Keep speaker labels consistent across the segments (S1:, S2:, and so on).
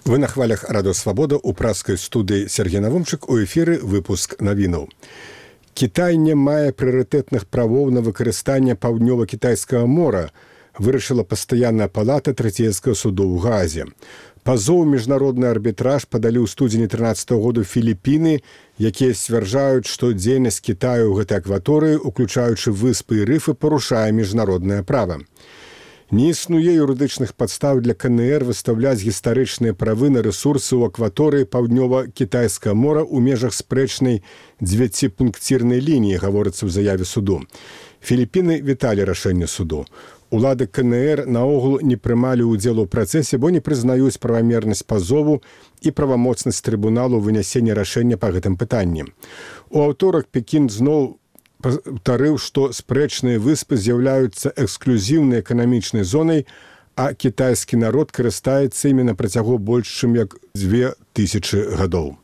S1: Вы на хвалях Радио Свабода у праскай студыі Сергей Навумчык, у эфіры выпуск навінаў. Кітай не мае прыярытэтных правоў на выкарыстанне паўднёва-кітайскага мора, вырашыла пастаянная палата Трэцейскага суду ў Гаазе. Пазоў міжнародны арбітраж падалі ў студзені 13 году Філіпіны, якія сцвярджаюць, што дзейнасць Кітаю ў гэтай акваторыі, уключаючы выспы і рыфы, парушае міжнароднае права. Не існуе юрыдычных падстаў для КНР выстаўляць гістарычныя правы на рэсурсы ў акваторыі паўднёва-кітайскага мора ў межах спрэчнай 9-пункцірнай лініі, гаворыцца ў заяве суду. Філіпіны віталі рашэнне суду. Улады КНР наогул не прымалі ўдзел у працэсе, бо не прызнаюць правамернасць пазову і правамоцнасць трыбуналу вынясення рашэння па гэтым пытанні. У аўторак Пекін зноў паўтарыў, што спрэчныя выспы з'яўляюцца эксклюзіўнай эканамічнай зонай, а кітайскі народ карыстаецца імі на працягу больш чым як 2000 гадоў.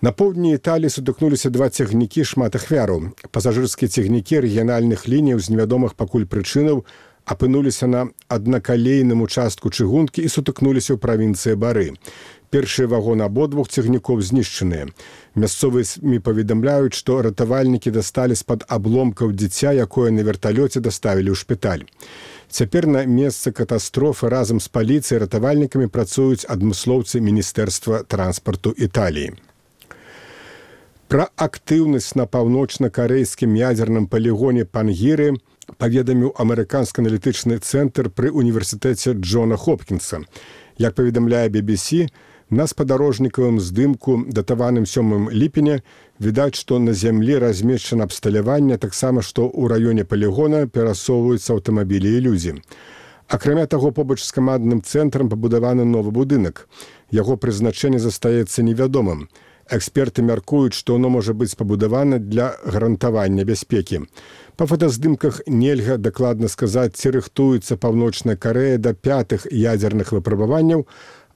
S1: На поўдні Італіі сутыкнуліся два цягнікі шмат ахвяраў. Пасажырскія цягнікі рэгіянальных лініяў з невядомых пакуль прычынаў апынуліся на аднакалейным участку чыгункі і сутыкнуліся ў правінцыі Бары. Першыя вагоны абодвух цягнікоў знішчаныя. Мясцовыя СМІ паведамляюць, што ратавальнікі дасталі з-пад абломкаў дзіця, якое на верталёце даставілі ў шпіталь. Цяпер на месцы катастрофы разам з паліцыяй і ратавальнікамі працуюць адмыслоўцы Міністэрства транспарту Італіі. Пра актыўнасць на паўночна-карэйскім ядзерным палігоне Пангіры паведаміў амерыканскі аналітычны цэнтр пры універсітэце Джона Хопкінса. Як паведамляе BBC, на спадарожнікавым здымку, датаваным 7 ліпеня, відаць, што на зямлі размешчана абсталяванне, таксама, што ў раёне палігона перасоўваюцца аўтамабілі і людзі. Акрамя таго, побач з камандным цэнтрам пабудаваны новы будынак. Яго прызначэнне застаецца невядомым. Эксперты мяркуюць, што оно можа быць пабудавана для гарантавання бяспекі. Па фотаздымках нельга дакладна сказаць, ці рыхтуецца Паўночная Карэя да 5-х ядзерных выпрабаванняў,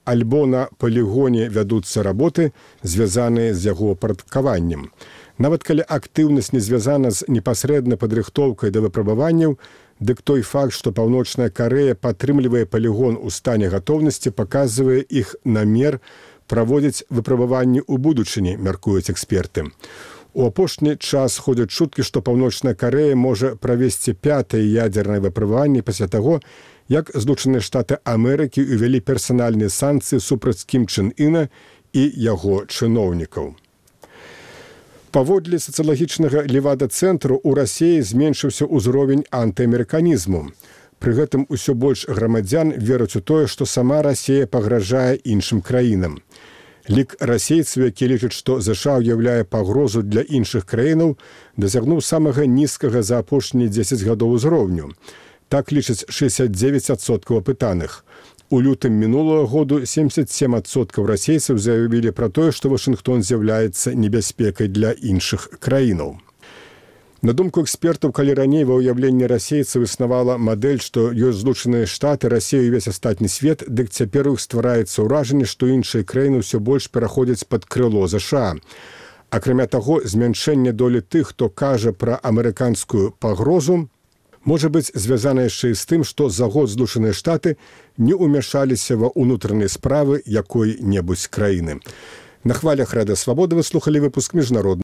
S1: альбо на палігоне вядуцца работы, звязаныя з яго парадкаваннем. Нават калі актыўнасць не звязана з непасрэднай падрыхтоўкай да выпрабаванняў, дык той факт, што Паўночная Карэя падтрымлівае палігон у стане гатоўнасці, паказвае іх намер праводзіць выпрабаванні ў будучыні, мяркуюць эксперты. У апошні час ходзяць чуткі, што Паўночная Карэя можа правесці 5-е ядзернае выпрабаванне пасля таго, як Злучаныя Штаты Амерыкі ўвялі персанальныя санкцыі супраць Кім Чен Іна і яго чыноўнікаў. Паводле сацыялагічнага левада-цэнтру ў Расіі зменшыўся ўзровень антыамерыканізму. Пры гэтым усё больш грамадзян вераць у тое, што сама Расія пагражае іншым краінам. Лік расейцаў, які лічаць, што ЗША ўяўляе пагрозу для іншых краінаў, дасягнуў самага нізкага за апошнія 10 гадоў узроўню. Так лічаць 69% апытаных. У лютым мінулага году 77% расейцаў заявілі пра тое, што Вашынгтон з'яўляецца небяспекай для іншых краінаў. На думку экспертаў, калі раней ва ўяўленні расейцаў існавала мадэль, што ёсць Злучаныя Штаты, Расія і ўвесь астатні свет, дык цяпер у іх ствараецца ўражанне, што іншыя краіны ўсё больш пераходзяць пад крыло ЗША. Акрамя таго, змяншэнне долі тых, хто кажа пра амерыканскую пагрозу, можа быць звязана яшчэ і з тым, што за год Злучаныя Штаты не ўмяшаліся ва ўнутраныя справы якой-небудзь краіны. На хвалях Радыё Свабода вы слухалі выпуск міжнародных